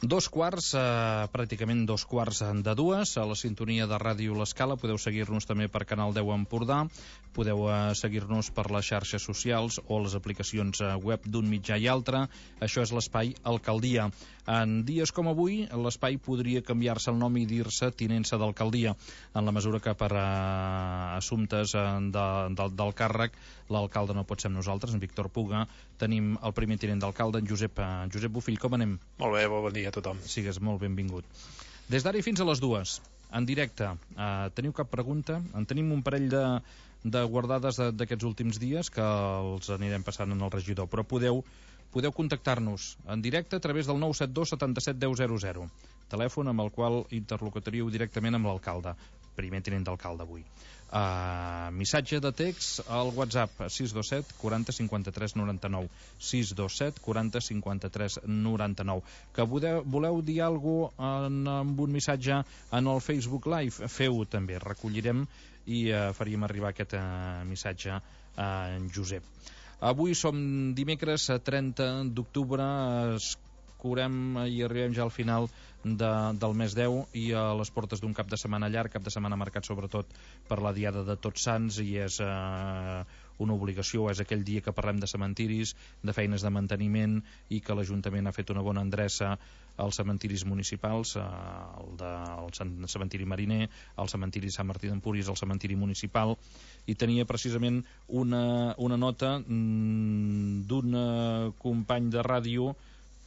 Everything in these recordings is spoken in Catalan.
Dos quarts, pràcticament dos quarts de dues, a la sintonia de Ràdio L'Escala. Podeu seguir-nos també per Canal 10 Empordà, podeu seguir-nos per les xarxes socials o les aplicacions web d'un mitjà i altre. Això és l'espai Alcaldia. En dies com avui, l'espai podria canviar-se el nom i dir-se Tinença d'Alcaldia, en la mesura que per assumptes del càrrec l'alcalde no pot ser amb nosaltres, en Víctor Puga. Tenim el primer tinent d'alcalde, en Josep Bofill. Com anem? Molt bé, bon dia a tothom. Sigues molt benvingut. Des d'ara i fins a les 2, en directe. Teniu cap pregunta? En tenim un parell de guardades d'aquests últims dies que els anirem passant en el regidor, però podeu contactar-nos en directe a través del 972 77 10 00, telèfon amb el qual interlocutoríeu directament amb l'alcalde, primer tinent d'alcalde avui. Missatge de text al WhatsApp 627 40 53 99, 627 40 53 99. Que voleu dir alguna cosa amb un missatge en el Facebook Live, feu-ho també, recollirem i faríem arribar aquest missatge a en Josep. Avui som dimecres 30 d'octubre, escurem i arribem ja al final del mes 10 i a les portes d'un cap de setmana llarg, cap de setmana marcat sobretot per la diada de Tots Sants, i és una obligació, és aquell dia que parlem de cementiris, de feines de manteniment, i que l'Ajuntament ha fet una bona endreça als cementiris municipals, el cementiri Mariner, el cementiri Sant Martí d'Empúries, el cementiri municipal, i tenia precisament una nota d'un company de ràdio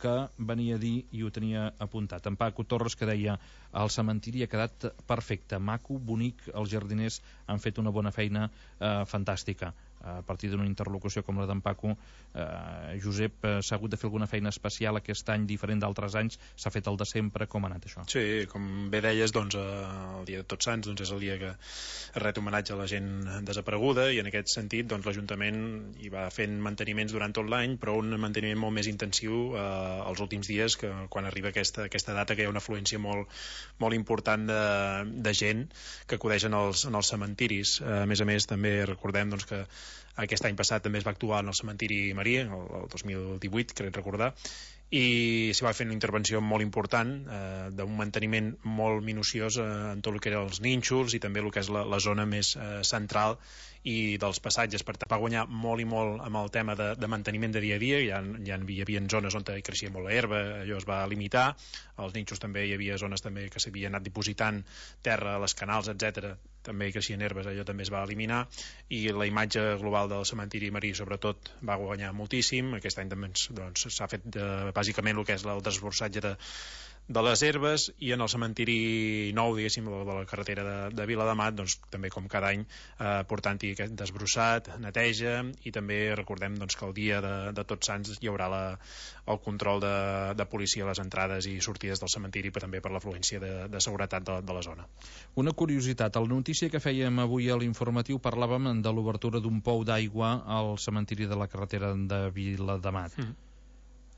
que venia a dir, i ho tenia apuntat, en Paco Torres, que deia: el cementiri ha quedat perfecte, maco, bonic, els jardiners han fet una bona feina, fantàstica. A partir d'una interlocució com la d'en Paco, Josep, s'ha hagut de fer alguna feina especial aquest any, diferent d'altres anys? S'ha fet el de sempre? Com ha anat això? Sí, com bé deies, doncs, el dia de Tots Sants és el dia que es ret homenatge a la gent desapareguda, i en aquest sentit doncs, l'Ajuntament hi va fent manteniments durant tot l'any, però un manteniment molt més intensiu els últims dies, que quan arriba aquesta data, que hi ha una afluència molt important de gent que acudeixen en els cementiris. A més, també recordem doncs, que aquest any passat també es va actuar en el cementiri Maria, el 2018, crec recordar, i s'hi va fer una intervenció molt important, d'un manteniment molt minuciós en tot el que eren els nínxols i també el que és la zona més central i dels passatges. Per tant, va guanyar molt i molt amb el tema de manteniment de dia a dia. Hi havia zones on creixia molt l'herba, allò es va limitar. Als nínxols també hi havia zones també que s'havia anat dipositant terra a les canals, etc. També hi creixien herbes, allò també es va eliminar, i la imatge global del cementiri Marí sobretot va guanyar moltíssim. Aquest any també s'ha fet bàsicament el que és el desbrossatge de les herbes, i en el cementiri nou, diguéssim, de la carretera de Viladamat, doncs també com cada any portant-hi aquest desbrossat, neteja, i també recordem doncs, que el dia de Tots Sants hi haurà el control de policia a les entrades i sortides del cementiri, però també per l'afluència de seguretat de la zona. Una curiositat, a la notícia que fèiem avui a l'informatiu parlàvem de l'obertura d'un pou d'aigua al cementiri de la carretera de Viladamat.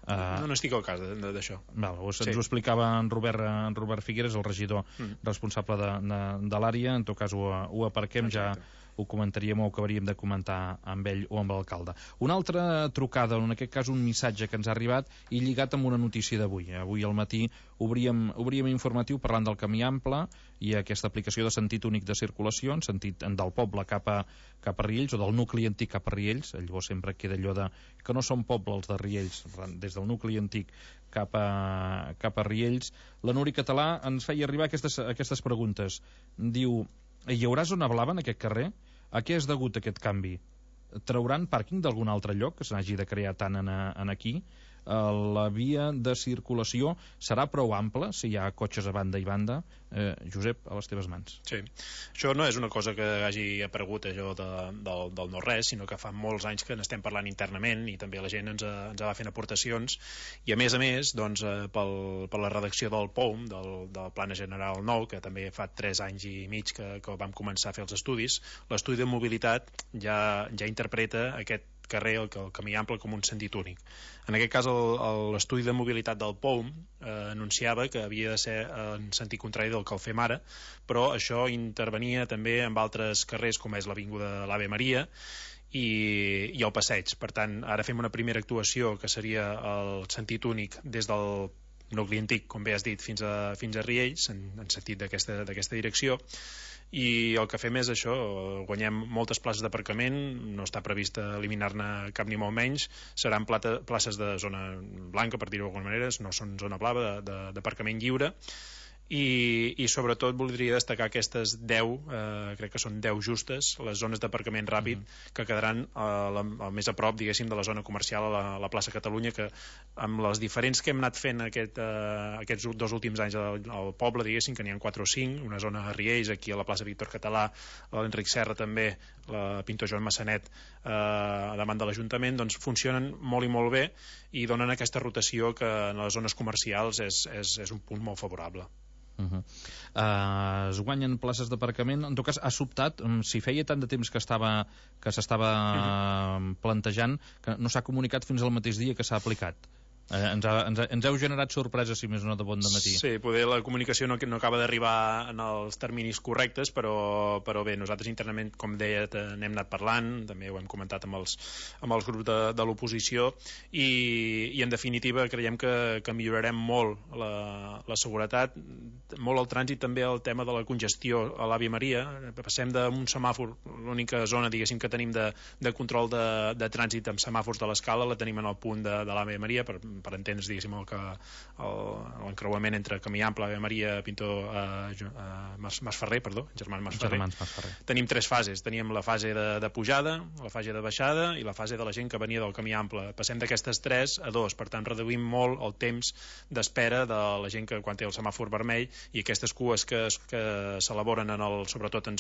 No estic al cas d'això. Ens ho explicava en Robert Figueres, el regidor responsable de l'àrea. En tot cas ho aparquem. Exacte. Ja ho comentaríem o ho acabaríem de comentar amb ell o amb l'alcalde. Una altra trucada, en aquest cas un missatge que ens ha arribat i lligat amb una notícia d'avui. Avui al matí obríem informatiu parlant del camí ample i aquesta aplicació de sentit únic de circulació, en sentit del poble cap a Riells, o del nucli antic cap a Riells. Llavors sempre queda allò de que no són poble els de Riells, des del nucli antic cap a Riells. La Núria Català ens feia arribar aquestes preguntes. Diu: hi haurà zona blava en aquest carrer? A què és degut aquest canvi? Trauran pàrquing d'algun altre lloc que se n'hagi de crear tant en aquí? La via de circulació serà prou ampla si hi ha cotxes a banda i banda? Josep, a les teves mans. Sí, això no és una cosa que hagi aparegut allò del no-res, sinó que fa molts anys que n'estem parlant internament, i també la gent ens va fent aportacions, i a més doncs, per la redacció del POUM, del Plan General Nou, que també fa 3 anys i mig que vam començar a fer els estudis. L'estudi de mobilitat ja interpreta aquest carrer, el camí ample, com un sentit únic. En aquest cas l'estudi de mobilitat del POUM anunciava que havia de ser en sentit contrari del que el fem ara, però això intervenia també amb altres carrers com és l'avinguda de l'Ave Maria i el passeig. Per tant, ara fem una primera actuació que seria el sentit únic des del nucli antic, com bé has dit, fins a Riells, en sentit d'aquesta direcció. I el que fem és això, guanyem moltes places d'aparcament, no està previst eliminar-ne cap ni molt menys, seran places de zona blanca, per dir-ho d'alguna manera, no són zona blava, d'aparcament lliure. I sobretot voldria destacar aquestes 10, crec que són 10 justes, les zones d'aparcament ràpid que quedaran al més a prop, diguéssim, de la zona comercial a la plaça Catalunya, que amb les diferents que hem anat fent aquests 2 últims anys al poble, diguéssim, que n'hi ha 4 o 5, una zona a Riells, aquí a la plaça Víctor Català, l'Enric Serra també, la Pintor Joan Massanet davant de l'Ajuntament, doncs funcionen molt i molt bé i donen aquesta rotació que en les zones comercials és un punt molt favorable. Es guanyen places d'aparcament. En tot cas, ha sobtat, si feia tant de temps que s'estava plantejant, que no s'ha comunicat fins al mateix dia que s'ha aplicat. Ens heu generat sorpreses, si més no, de bon dematí. Sí, poder la comunicació no acaba d'arribar en els terminis correctes, però bé, nosaltres internament, com deia, n'hem anat parlant, també ho hem comentat amb els grups de l'oposició, i en definitiva creiem que millorarem molt la seguretat, molt el trànsit, també el tema de la congestió a l'Àvia Maria. Passem d'un semàfor, l'única zona, diguéssim, que tenim de control de trànsit amb semàfors de l'escala, la tenim en el punt de l'Àvia Maria, per entendre's, diguéssim, l'encreuament entre Camí Ample, Ave Maria, Pintor, Masferrer, perdó, Germans Masferrer. Tenim 3 fases, teníem la fase de pujada, la fase de baixada i la fase de la gent que venia del Camí Ample. Passem d'aquestes 3 a 2, per tant reduïm molt el temps d'espera de la gent que quan té el semàfor vermell, i aquestes cues que s'elaboren sobretot en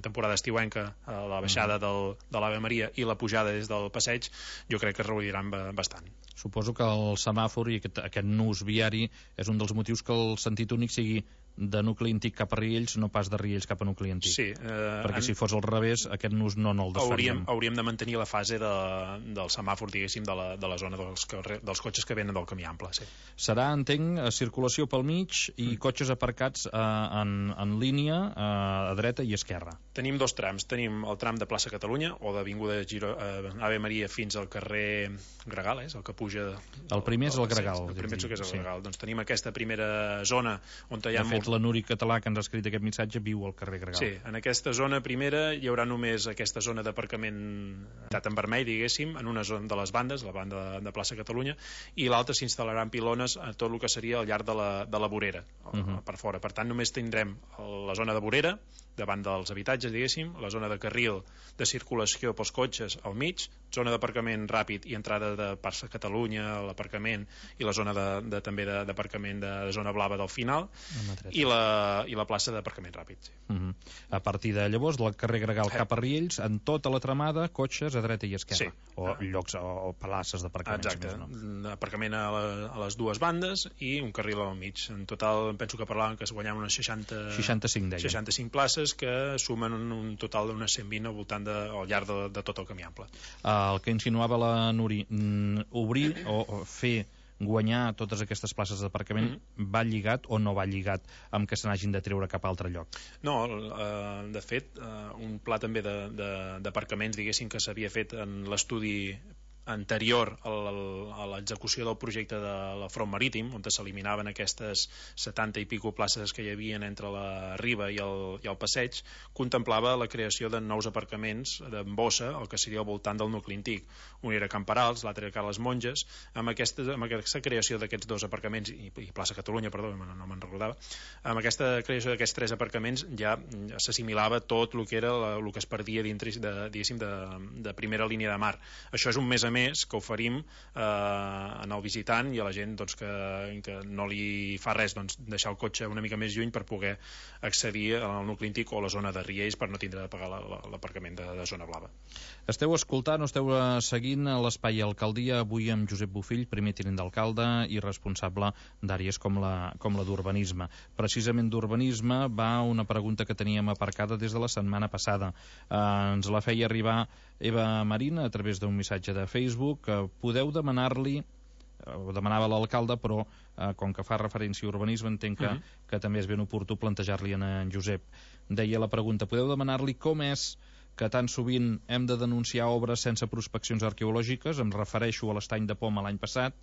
temporada estiuenca, la baixada de l'Ave Maria i la pujada des del passeig, jo crec que es reduiran bastant. Suposo que el semàfor i aquest nus viari és un dels motius que el sentit únic sigui de nucli antic cap a Riells, no pas de Riells cap a nucli antic. Sí, perquè si fos al revés, aquest nus no el desfaríem. Hauríem de mantenir la fase del semàfor, diguéssim, de la zona dels cotxes que venen del Camí Ample. Sí. Serà, entenc, circulació pel mig i cotxes aparcats en línia a dreta i esquerra. Tenim 2 trams. Tenim el tram de plaça Catalunya o d'Avinguda Ave Maria fins al carrer Gregal, és el que puja... El primer és el Gregal. El primer és el Gregal. Doncs tenim aquesta primera zona on hi ha molts... la Núria Català, que ens ha escrit aquest missatge, viu al carrer Gregal. Sí, en aquesta zona primera hi haurà només aquesta zona d'aparcament en vermell, diguéssim, en una zona de les bandes, la banda de plaça Catalunya, i l'altra s'instal·laran pilones a tot el que seria al llarg de la vorera, per fora. Per tant, només tindrem la zona de vorera, davant dels habitatges, diguéssim, la zona de carril de circulació pels cotxes al mig, zona d'aparcament ràpid i entrada de plaça Catalunya, l'aparcament, i la zona també d'aparcament de zona blava del final, i la plaça d'aparcament ràpid. Sí. A partir de llavors, del carrer Gregal cap a Riells, en tota la tramada, cotxes a dreta i esquerra. Sí. O llocs o places d'aparcament. Exacte. Aparcament a les 2 bandes i un carril al mig. En total, penso que parlàvem que es guanyaven unes 65 places, que sumen un total d'unes 120 al llarg de tot el Camí Ample. El que insinuava la Nuri, obrir o fer guanyar totes aquestes places d'aparcament va lligat o no va lligat amb que se n'hagin de treure cap a altre lloc? No, de fet, un pla també d'aparcaments, diguéssim, que s'havia fet en l'estudi anterior a l'execució del projecte de la Front Marítim, on s'eliminaven aquestes 70 i pico places que hi havia entre la Riba i el passeig, contemplava la creació de nous aparcaments en bossa, el que seria al voltant del nucli antic. Un era Camperals, l'altre era Carles Monges. Amb aquesta creació d'aquests 2 aparcaments, i plaça Catalunya, perdó, no me'n recordava, amb aquesta creació d'aquests 3 aparcaments ja s'assimilava tot el que era el que es perdia dintre, diguéssim, de primera línia de mar. Això és un més a més que oferim en el visitant i a la gent que no li fa res deixar el cotxe una mica més lluny per poder accedir al nucli antic o a la zona de Riells per no tindre de pagar l'aparcament de zona blava. Esteu escoltant o esteu seguint l'Espai Alcaldia, avui amb Josep Bofill, primer tinent d'alcalde i responsable d'àrees com la d'urbanisme. Precisament d'urbanisme va una pregunta que teníem aparcada des de la setmana passada. Ens la feia arribar Eva Marina a través d'un missatge de Facebook. Podeu demanar-li, ho demanava l'alcalde, però com que fa referència a urbanisme entenc que també és ben oportú plantejar-li en Josep. Deia la pregunta, podeu demanar-li com és que tan sovint hem de denunciar obres sense prospeccions arqueològiques? Em refereixo a l'estany de Poma l'any passat,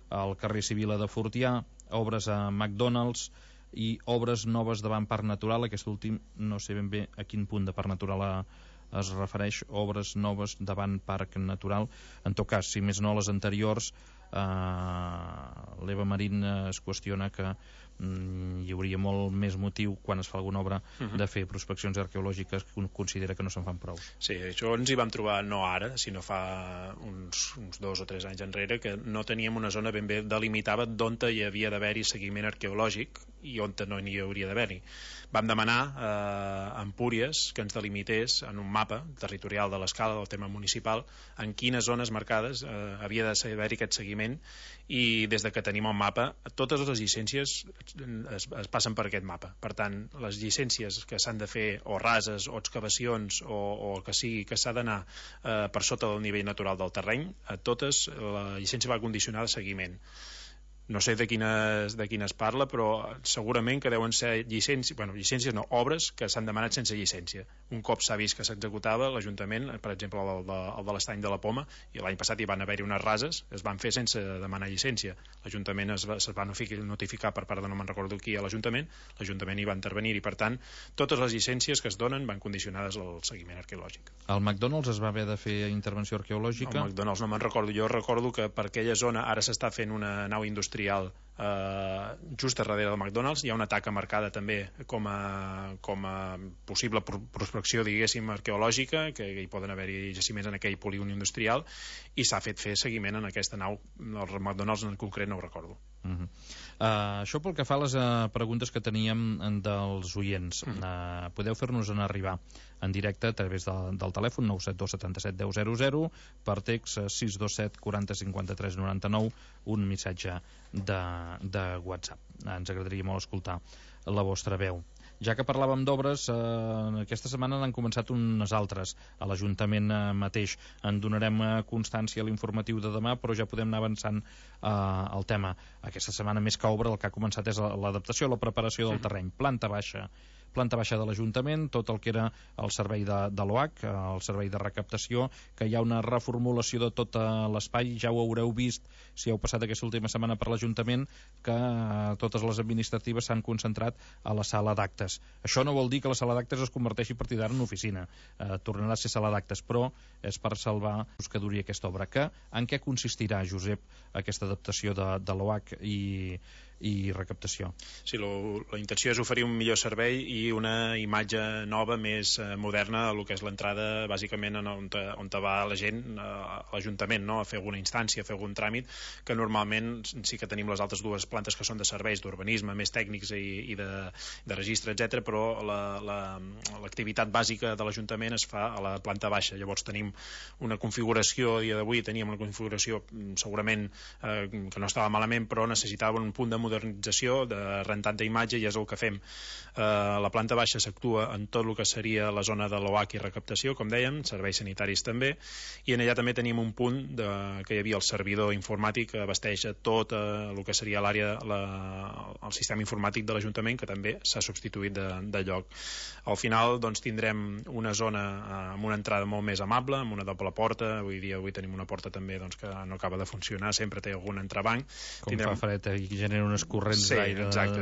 al carrer Sibila de Fortià, obres a McDonald's i obres noves davant Parc Natural. Aquest últim no sé ben bé a quin punt de Parc Natural es refereix, obres noves davant Parc Natural. En tot cas, si més no les anteriors, l'Eva Marín es qüestiona que hi hauria molt més motiu quan es fa alguna obra de fer prospeccions arqueològiques, que considera que no se'n fan prou. Sí, això ens hi vam trobar no ara, sinó fa uns 2 o 3 anys enrere, que no teníem una zona ben bé delimitada d'on hi havia d'haver-hi seguiment arqueològic i on no n'hi hauria d'haver-hi. Vam demanar a Empúries que ens delimités en un mapa territorial de l'escala del tema municipal en quines zones marcades havia d'haver-hi aquest seguiment, i des de que tenim el mapa totes les llicències es passen per aquest mapa. Per tant, les llicències que s'han de fer o rases o excavacions o el que sigui que s'ha d'anar per sota del nivell natural del terreny, a totes la llicència va condicionar de seguiment. No sé de quines parla, però segurament que deuen ser llicències no, obres que s'han demanat sense llicència. Un cop s'ha vist que s'executava, l'Ajuntament, per exemple el de l'Estany de la Poma, i l'any passat hi van haver-hi unes rases, es van fer sense demanar llicència. L'Ajuntament es va notificar per part de no me'n recordo qui a l'Ajuntament hi va intervenir, i per tant totes les llicències que es donen van condicionades al seguiment arqueològic. Al McDonald's es va haver de fer intervenció arqueològica? Al McDonald's no me'n recordo, jo recordo que per aquella zona ara s'està fent una nau industrial just a darrere del McDonald's. Hi ha una taca marcada també com a possible prospecció, diguéssim, arqueològica, que hi poden haver-hi jaciments en aquell polígon industrial, i s'ha fet fer seguiment en aquesta nau. El McDonald's en concret no ho recordo. Això pel que fa a les preguntes que teníem dels oients. Podeu fer-nos arribar en directe a través del telèfon 972 77 10 00, per text 627 40 53 99, un missatge de WhatsApp. Ens agradaria molt escoltar la vostra veu. Ja que parlàvem d'obres, aquesta setmana n'han començat unes altres a l'Ajuntament mateix. En donarem constància a l'informatiu de demà, però ja podem anar avançant al tema. Aquesta setmana, més que obra, el que ha començat és l'adaptació, la preparació del terreny. Planta baixa de l'Ajuntament, tot el que era el servei de l'OAC, el servei de recaptació, que hi ha una reformulació de tot l'espai. Ja ho haureu vist si heu passat aquesta última setmana per l'Ajuntament, que totes les administratives s'han concentrat a la sala d'actes. Això no vol dir que la sala d'actes es converteixi a partir d'ara en oficina. Tornarà a ser sala d'actes, però és per salvar que duri aquesta obra. En què consistirà, Josep, aquesta adaptació de l'OAC i recaptació? Sí, la intenció és oferir un millor servei i una imatge nova, més moderna, a lo que és l'entrada, bàsicament on va la gent a l'Ajuntament, no? A fer alguna instància, a fer algun tràmit, que normalment sí que tenim les altres dues plantes que són de serveis d'urbanisme, més tècnics i de registre, etc, però l'activitat bàsica de l'Ajuntament es fa a la planta baixa. Llavors tenim una configuració, a dia d'avui teníem una configuració segurament que no estava malament, però necessitava un punt de modernització, de rentat d'imatge, i és el que fem. La planta baixa s'actua en tot el que seria la zona de l'OAC i recaptació, com dèiem, serveis sanitaris també, i en allà també tenim un punt que hi havia el servidor informàtic que abasteix a tot el que seria l'àrea, el sistema informàtic de l'Ajuntament, que també s'ha substituït de lloc. Al final doncs tindrem una zona amb una entrada molt més amable, amb una doble porta. Avui tenim una porta també que no acaba de funcionar, sempre té algun entrebanc. Fa fred i genera unes corrents d'aire. Sí, exacte,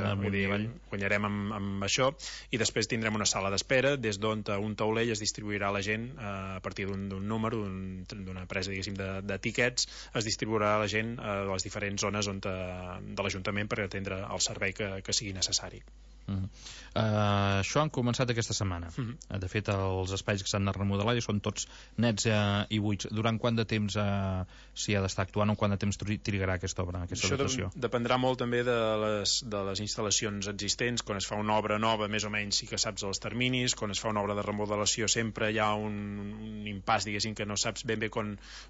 guanyarem amb això, i després tindrem una sala d'espera des d'on un taulell es distribuirà a la gent a partir d'un número, d'una presa, diguéssim, de tiquets, es distribuirà a la gent a les diferents zones de l'Ajuntament per atendre el servei que sigui necessari. Això han començat aquesta setmana. De fet, els espais que s'han de remodelar ja són tots nets i buits. Durant quant de temps s'hi ha d'estar actuant, o quant de temps trigarà aquesta obra, aquesta adaptació? Això dependrà molt també de les instal·lacions existents. Quan es fa una obra nova, més o menys sí que saps els terminis. Quan es fa una obra de remodelació sempre hi ha un impàs, diguéssim, que no saps ben bé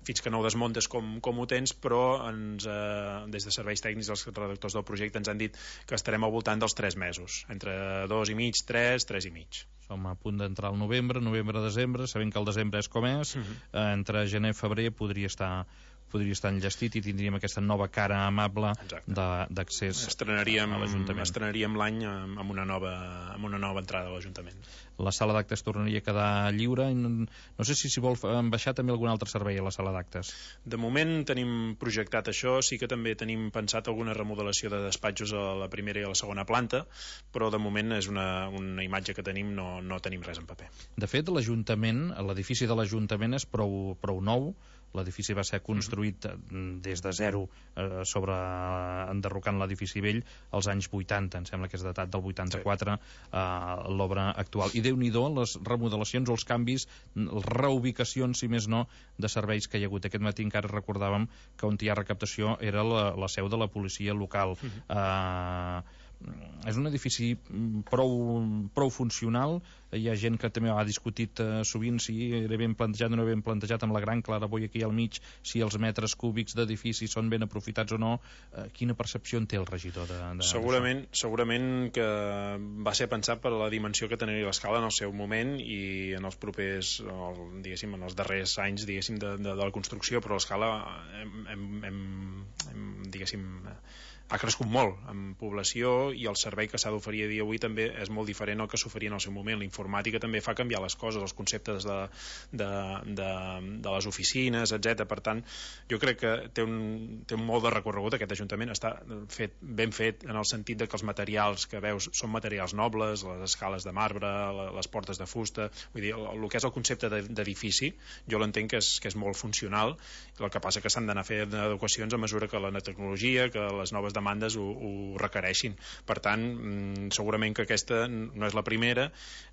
fins que no ho desmuntes com ho tens, però des de serveis tècnics, els redactors del projecte ens han dit que estarem al voltant dels 3 mesos, entre 2 i mig, 3 i mig. Som a punt d'entrar al novembre, desembre, sabent que el desembre és com és, entre gener i febrer podria estar podria estar enllestit i tindríem aquesta nova cara amable d'accés a l'Ajuntament. Estrenaríem l'any amb una nova entrada a l'Ajuntament. La sala d'actes tornaria a quedar lliure. No sé si s'hi vol baixar també algun altre servei a la sala d'actes. De moment tenim projectat això, sí que també tenim pensat alguna remodelació de despatxos a la primera i a la segona planta, però de moment és una imatge que tenim, no tenim res en paper. De fet, l'edifici de l'Ajuntament és prou nou. L'edifici va ser construït des de zero, enderrocant l'edifici vell als anys 80, em sembla que és datat del 84, l'obra actual. I Déu-n'hi-do les remodelacions o els canvis, les reubicacions, si més no, de serveis que hi ha hagut. Aquest matí encara recordàvem que on hi ha recaptació era la seu de la policia local. És un edifici prou funcional. Hi ha gent que també ha discutit sovint si era ben plantejat o no ben plantejat, amb la gran claraboia aquí al mig, si els metres cúbics d'edifici són ben aprofitats o no. Quina percepció en té el regidor Segurament que va ser pensat per la dimensió que tenia l'escala en el seu moment i en els propers, diguéssim, en els darrers anys, diguéssim, de la construcció, però l'escala diguéssim, ha crescut molt en població i el servei que s'ha d'oferir a dia avui també és molt diferent al que s'oferia en el seu moment. La informàtica també fa canviar les coses, els conceptes de les oficines, etc. Per tant, jo crec que té un molt de recorregut. Aquest Ajuntament està ben fet en el sentit de que els materials que veus són materials nobles, les escales de marbre, les portes de fusta. Vull dir, el que és el concepte d'edifici, jo l'entenc que és molt funcional. El que passa que s'han d'anar fent adequacions a mesura que la tecnologia, que les noves demandes ho requereixin. Per tant, segurament que aquesta no és la primera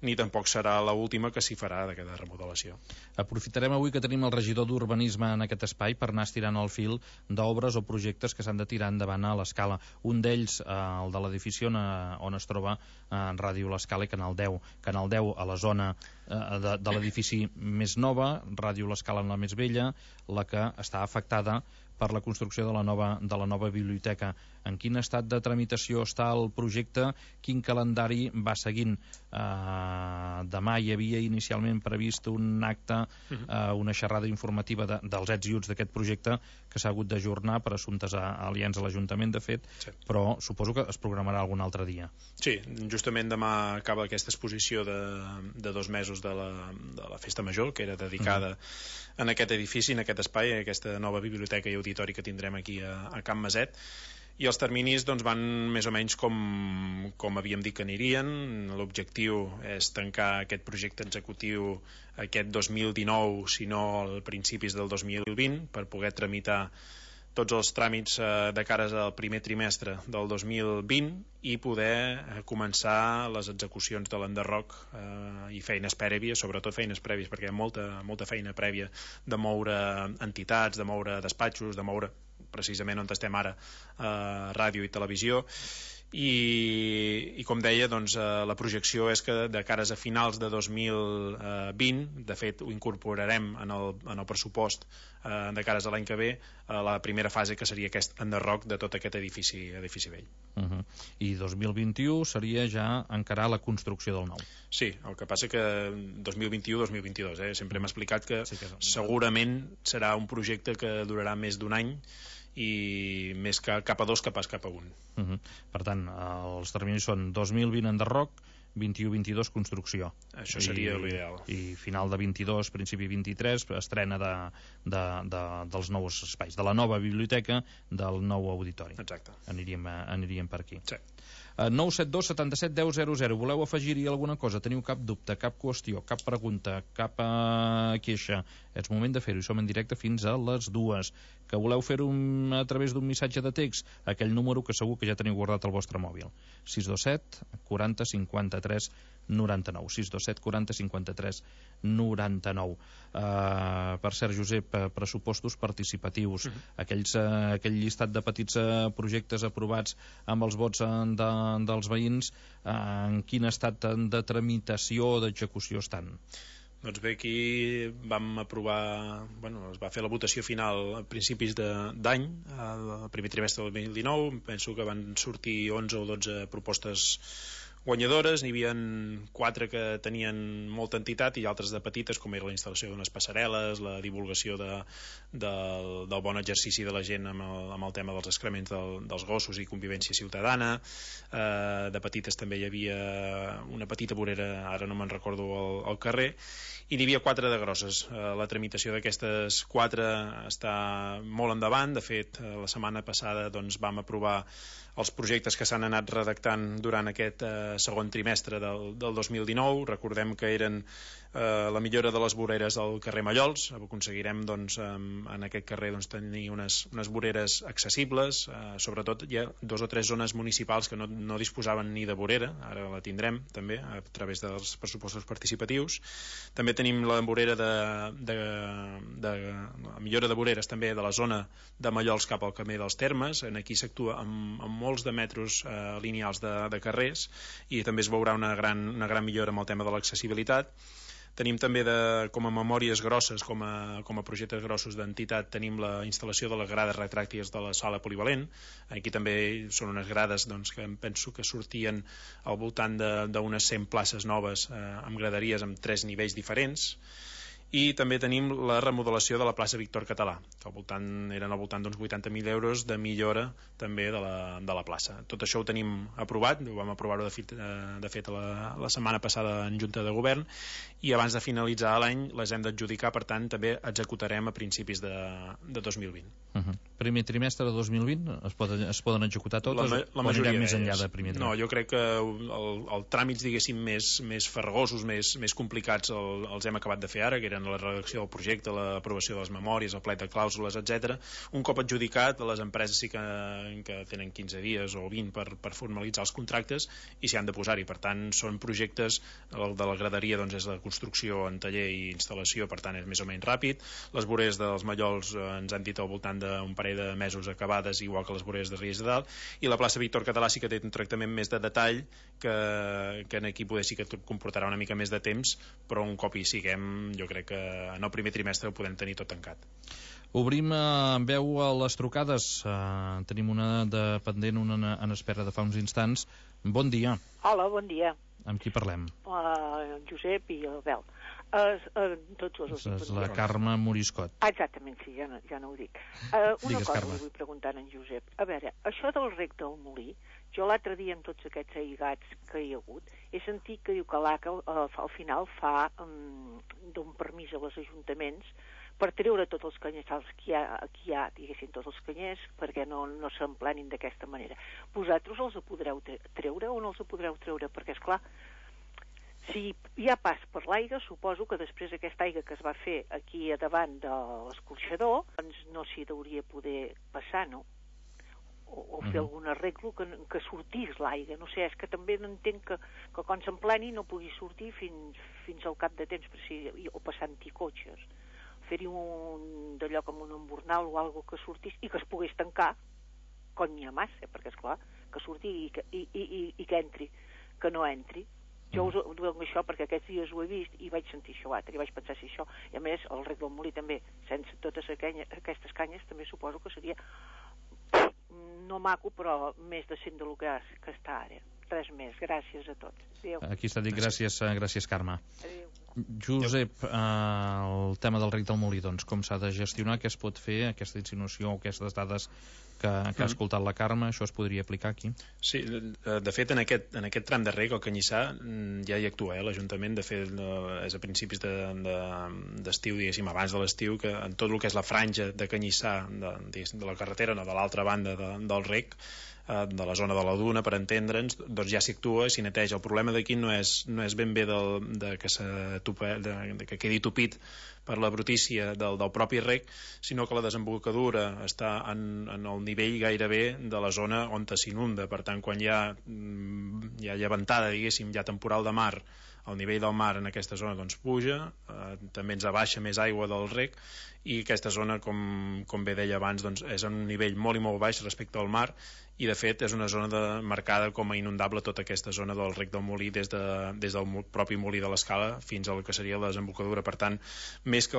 ni tampoc serà l'última que s'hi farà d'aquesta remodelació. Aprofitarem avui que tenim el regidor d'Urbanisme en aquest espai per anar estirant el fil d'obres o projectes que s'han de tirar endavant a l'Escala. Un d'ells, el de l'edifici on es troba Ràdio l'Escala i Canal 10. Canal 10 a la zona de l'edifici més nova, Ràdio l'Escala en la més vella, la que està afectada per la construcció de la nova biblioteca. En quin estat de tramitació està el projecte? Quin calendari va seguint? Demà hi havia inicialment previst un acte, una xerrada informativa dels ets i uts d'aquest projecte que s'ha hagut d'ajornar per assumptes aliens a l'Ajuntament, de fet, però suposo que es programarà algun altre dia. Sí, justament demà acaba aquesta exposició de 2 mesos de la Festa Major, que era dedicada en aquest edifici, en aquest espai, a aquesta nova biblioteca i auditori que tindrem aquí a Can Maset, i els terminis van més o menys com havíem dit que anirien. L'objectiu és tancar aquest projecte executiu aquest 2019, si no a principis del 2020, per poder tramitar tots els tràmits de cares al primer trimestre del 2020 i poder començar les execucions de l'enderroc i feines prèvies, sobretot feines prèvies, perquè hi ha molta feina prèvia de moure entitats, de moure despatxos, de moure precisament on estem ara, ràdio i televisió. I com deia, la projecció és que de cares a finals de 2020, de fet ho incorporarem en el pressupost de cares a l'any que ve, la primera fase, que seria aquest enderroc de tot aquest edifici vell. I 2021 seria ja encarar la construcció del nou. Sí, el que passa que 2021-2022, sempre hem explicat que segurament serà un projecte que durarà més d'un any i més cap a 2 que pas cap a 1. Per tant, els terminis són 2020 enderroc, 21-22 construcció. Això seria l'ideal. I final de 22, principi 23, estrena dels nous espais, de la nova biblioteca, del nou auditori. Exacte. Aniríem per aquí. Sí. 972 77 10 00. Voleu afegir-hi alguna cosa? Teniu cap dubte, cap qüestió, cap pregunta, cap queixa? És moment de fer-ho, som en directe fins a les 2. Que voleu fer-ho a través d'un missatge de text? Aquell número que segur que ja teniu guardat al vostre mòbil. 627 40 53 99. 627 40 53 99. Per cert, Josep, pressupostos participatius, aquell llistat de petits projectes aprovats amb els vots dels veïns, en quin estat de tramitació o d'execució estan? Doncs bé, aquí vam aprovar, es va fer la votació final a principis d'any, al primer trimestre del 2019, penso que van sortir 11 o 12 propostes guanyadores. N'hi havia 4 que tenien molta entitat i altres de petites, com era la instal·lació d'unes passarel·les, la divulgació del bon exercici de la gent amb el tema dels excrements dels gossos i convivència ciutadana. De petites també hi havia una petita vorera, ara no me'n recordo al carrer, i n'hi havia 4 de grosses. La tramitació d'aquestes 4 està molt endavant. De fet, la setmana passada doncs, vam aprovar els projectes que s'han anat redactant durant aquest segon trimestre del 2019. Recordem que eren la millora de les voreres al carrer Mallols. Aconseguirem doncs, en aquest carrer doncs, tenir unes voreres accessibles. Sobretot hi ha 2 o 3 zones municipals que no disposaven ni de vorera, ara la tindrem també a través dels pressupostos participatius. També tenim la vorera la millora de voreres també de la zona de Mallols cap al camí dels Termes. Aquí s'actua amb molts de metros lineals de carrers i també es veurà una gran millora amb el tema de l'accessibilitat. Tenim també com a memòries grosses, com a projectes grossos d'entitat, tenim la instal·lació de les grades retràctiles de la sala polivalent. Aquí també són unes grades doncs, que em penso que sortien al voltant d'unes 100 places noves amb graderies amb 3 nivells diferents. I també tenim la remodelació de la plaça Víctor Català, que eren al voltant d'uns 80.000 euros de millora també de la plaça. Tot això ho tenim aprovat, ho vam aprovar-ho de fet la setmana passada en Junta de Govern, i abans de finalitzar l'any les hem d'adjudicar, per tant també executarem a principis de 2020. Primer trimestre de 2020 es poden executar totes o anirem més enllà de primer trimestre? No, jo crec que els tràmits diguéssim més farragosos, més complicats els hem acabat de fer ara, que eren la redacció del projecte, l'aprovació de les memòries, el plec de clàusules, etc. Un cop adjudicat, les empreses sí que tenen 15 dies o 20 per formalitzar els contractes i s'hi han de posar-hi. Per tant, són projectes, el de la graderia doncs, és la construcció en taller i instal·lació, per tant és més o menys ràpid. Les voreres dels Mallols ens han dit al voltant d'un parell de mesos acabades, igual que les voreres de Riells de Dalt, i la plaça Víctor Català sí que té un tractament més de detall que aquí poder sí que comportarà una mica més de temps, però un cop hi siguem jo crec que en el primer trimestre ho podem tenir tot tancat. Obrim en veu a les trucades. Tenim una de pendent, una en espera de fa uns instants. Bon dia. Hola, bon dia. Amb qui parlem? Josep i Albel. Tots dos. És la Carme Moriscot. Exactament, sí, ja no ho dic. Una Digues, cosa Carme. li vull preguntar a en Josep. A veure, això del rec del Molí, jo l'altre dia amb tots aquests aigats que hi ha hagut, he sentit que diu que l'ACA al final d'un permís als ajuntaments per treure tots els canyissals que hi ha, diguéssim, tots els canyers, perquè no s'emplenin d'aquesta manera. Vosaltres els podreu treure o no els podreu treure? Perquè, esclar, si hi ha pas per l'aigua, suposo que després aquesta aigua que es va fer aquí a davant de l'escorxador, doncs no s'hi hauria poder passar, no? O fer algun arreglo que sortís l'aigua. No sé, és que també no entenc que quan s'empleni no pugui sortir fins al cap de temps, o passant-hi cotxes. Fer-hi d'allò com un embornal o alguna que sortís i que es pogués tancar quan n'hi ha massa, perquè esclar, que surti i que entri, que no entri. Jo us ho dic això perquè aquests dies ho he vist i vaig sentir això altre, i vaig pensar si això, i a més el rec del Molí també, sense totes aquestes canyes també suposo que seria no maco, però més decent del que està ara. Res més, gràcies a tots. Adéu. Aquí està dit, gràcies Carme. Adéu. Josep, el tema del rec del Molí, doncs, com s'ha de gestionar, què es pot fer, aquesta insinuació o aquestes dades que ha escoltat la Carme, això es podria aplicar aquí? Sí, de fet en aquest tram de rec, el Canyissà, ja hi actua l'Ajuntament. De fet és a principis d'estiu, diguéssim, abans de l'estiu, que en tot el que és la franja de Canyissà de la carretera, no, de l'altra banda del rec, de la zona de la duna, per entendre'ns, doncs ja s'hi actua, s'hi neteja. El problema d'aquí no és ben bé que quedi tupit per la brutícia del propi rec, sinó que la desembocadura està en el nivell gairebé de la zona on s'inunda. Per tant, quan hi ha llevantada, diguéssim, hi ha temporal de mar, el nivell del mar en aquesta zona doncs puja, també ens abaixa més aigua del rec, i aquesta zona, com bé deia abans, doncs és en un nivell molt i molt baix respecte al mar, i de fet és una zona marcada com a inundable, tota aquesta zona del rec del Molí, des del propi Molí de l'Escala fins al que seria la desembocadura. Per tant, més que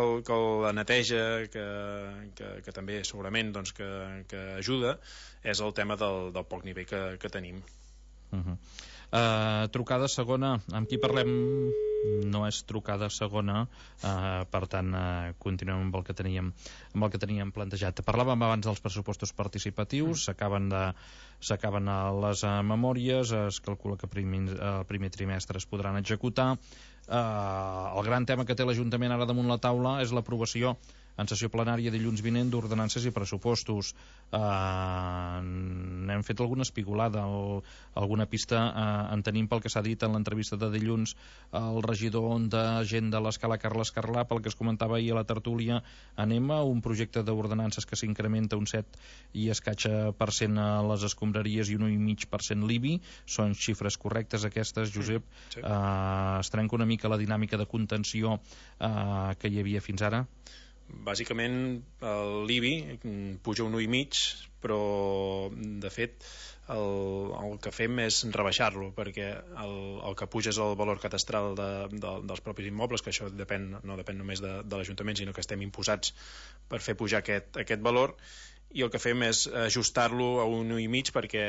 la neteja, que també segurament doncs, que ajuda, és el tema del poc nivell que tenim. Trucada segona, amb qui parlem? No és trucada segona, per tant continuem amb el que teníem plantejat. Parlàvem abans dels pressupostos participatius, s'acaben les memòries, es calcula que el primer trimestre es podran executar. El gran tema que té l'Ajuntament ara damunt la taula és l'aprovació en sessió plenària dilluns vinent d'ordenances i pressupostos. N'hem fet alguna espigolada, alguna pista en tenim pel que s'ha dit en l'entrevista de dilluns al regidor de gent de l'Escala, Carles Carlà, pel que es comentava ahir a la tertúlia anem a un projecte d'ordenances que s'incrementa un 7 i escaig% a les escombraries i un 1,5% l'IBI. Són xifres correctes aquestes, Josep? Sí. Es trenca una mica la dinàmica de contenció que hi havia fins ara? Bàsicament l'IBI puja un 1,5, però de fet el que fem és rebaixar-lo, perquè el que puja és el valor catastral dels propis immobles, que això no depèn només de l'Ajuntament, sinó que estem imposats per fer pujar aquest valor, i el que fem és ajustar-lo a un 1,5 perquè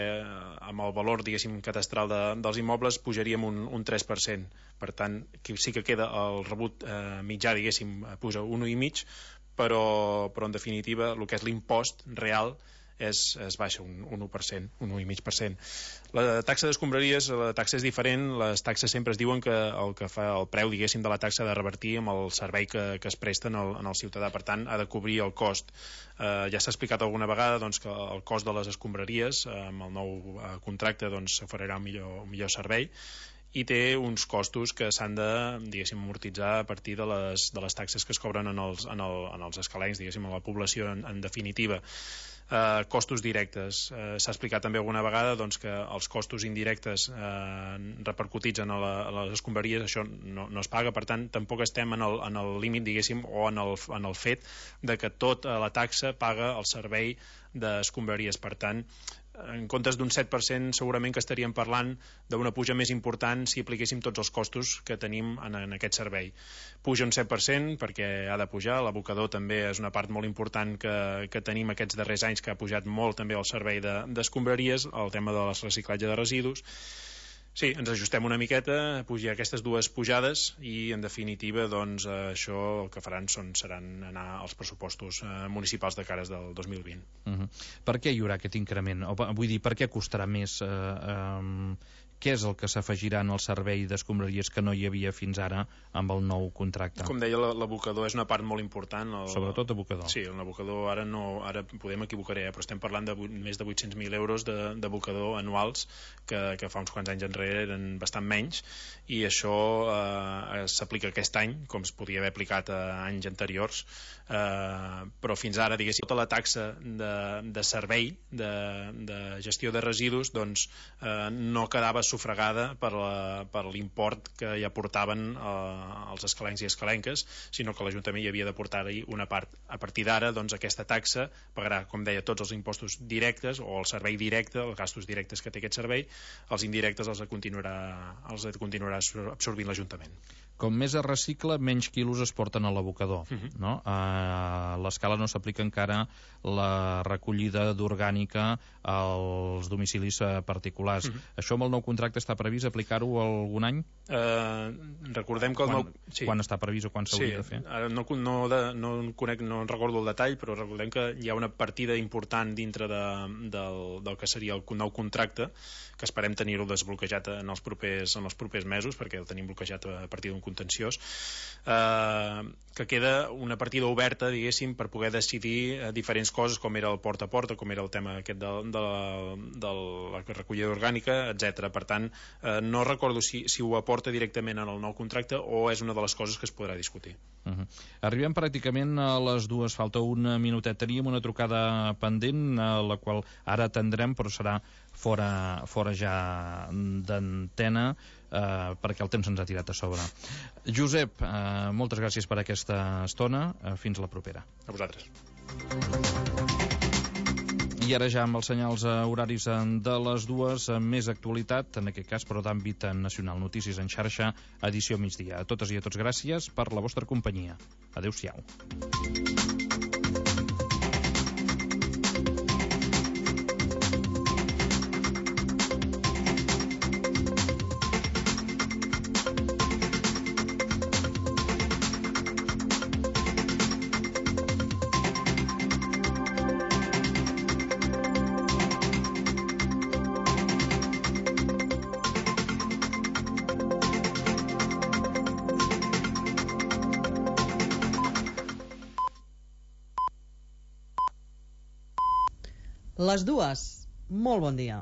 amb el valor, diguéssim, catastral dels immobles pujaríem un 3%. Per tant, sí que queda el rebut mitjà, diguéssim, puja un 1,5, però en definitiva el que és l'impost real es baixa un 1%, un 1,5%. La taxa d'escombraries, la taxa és diferent. Les taxes sempre es diuen que el que fa el preu, diguéssim, de la taxa ha de revertir amb el servei que es presta en el ciutadà, per tant ha de cobrir el cost. Ja s'ha explicat alguna vegada doncs, que el cost de les escombraries amb el nou contracte doncs, s'oferirà un millor servei, i té uns costos que s'han de, diguéssim, amortitzar a partir de les taxes que es cobren en els escalencs, diguéssim, a la població en definitiva. Costos directes. S'ha explicat també alguna vegada doncs, que els costos indirectes repercutits en les escombraries, això no es paga, per tant tampoc estem en el límit, diguéssim, o en el fet de que tota la taxa paga el servei d'escombraries. Per tant, en comptes d'un 7% segurament que estaríem parlant d'una puja més important si apliquéssim tots els costos que tenim en aquest servei. Puja un 7% perquè ha de pujar, l'abocador també és una part molt important que tenim aquests darrers anys, que ha pujat molt també el servei d'escombraries, el tema de reciclatge de residus. Sí, ens ajustem una miqueta, pujar aquestes dues pujades i, en definitiva, doncs, això el que faran seran anar als pressupostos municipals de cares del 2020. Per què hi haurà aquest increment? Vull dir, per què costarà més? Què és el que s'afegirà en el servei d'escombraries que no hi havia fins ara amb el nou contracte? Com deia, l'abocador és una part molt important. Sobretot abocador. Sí, l'abocador ara podem equivocar, però estem parlant de més de 800.000 euros d'abocador anuals, que fa uns quants anys enrere eren bastant menys, i això s'aplica aquest any, com es podia haver aplicat a anys anteriors, però fins ara, diguéssim, tota la taxa de servei de gestió de residus doncs no quedava sufragada per l'import que hi aportaven els escalencs i escalenques, sinó que l'Ajuntament hi havia d'aportar-hi una part. A partir d'ara, doncs, aquesta taxa pagarà, com deia, tots els impostos directes o el servei directe, els gastos directes que té aquest servei, els indirectes els continuarà absorbint l'Ajuntament. Com més es recicla, menys quilos es porten a l'abocador, no? A l'Escala no s'aplica encara la recollida d'orgànica als domicilis particulars. Això amb el nou contracte està previst aplicar-ho algun any? Recordem que quan està previst o quan s'hauria de fer? No recordo el detall, però recordem que hi ha una partida important dintre del que seria el nou contracte, que esperem tenir-ho desbloquejat en els propers mesos, perquè el tenim bloquejat a partir d'un contenciós, que queda una partida oberta, diguéssim, per poder decidir diferents coses, com era el porta a porta, com era el tema aquest de la recollida orgànica, etc. Per tant, no recordo si ho aporta directament en el nou contracte o és una de les coses que es podrà discutir. Arribem pràcticament a les dues, falta un minutet. Teníem una trucada pendent, la qual ara atendrem, però serà fora ja d'antena, perquè el temps ens ha tirat a sobre. Josep, moltes gràcies per aquesta estona. Fins la propera. A vosaltres. I ara ja amb els senyals horaris de les dues, més actualitat, en aquest cas, però d'àmbit nacional. Notícies en xarxa, edició migdia. A totes i a tots gràcies per la vostra companyia. Adéu-siau. Les dues. Molt bon dia.